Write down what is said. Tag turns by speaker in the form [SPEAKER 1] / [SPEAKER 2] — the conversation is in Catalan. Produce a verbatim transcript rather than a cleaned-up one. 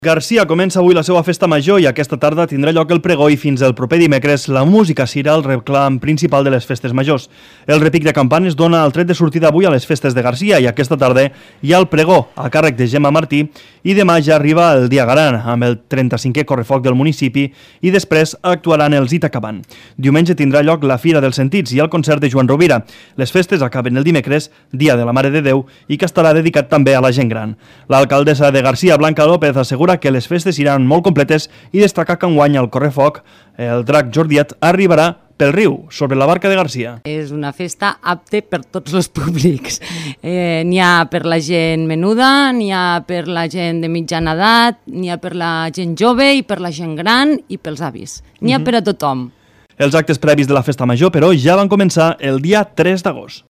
[SPEAKER 1] Garcia comença avui la seva festa major i aquesta tarda tindrà lloc el pregó i fins el proper dimecres la música serà el reclam principal de les festes majors. El repic de campanes dona el tret de sortida avui a les festes de Garcia i aquesta tarda hi ha el pregó a càrrec de Gemma Martí i demà ja arriba el dia Garan amb el trenta-cinquè correfoc del municipi i després actuaran els Itacaban. Diumenge tindrà lloc la Fira dels Sentits i el concert de Joan Rovira. Les festes acaben el dimecres, dia de la Mare de Déu, i que estarà dedicat també a la gent gran. L'alcaldessa de Garcia, Blanca López, assegura que les festes iran molt completes i destaca que enguany el correfoc, el drac Jordiet, arribarà pel riu, sobre la barca de Garcia.
[SPEAKER 2] És una festa apte per tots els públics. Eh, n'hi ha per la gent menuda, n'hi ha per la gent de mitjana edat, n'hi ha per la gent jove i per la gent gran i pels avis. N'hi ha uh-huh. per a tothom.
[SPEAKER 1] Els actes previs de la festa major, però, ja van començar el dia tres d'agost.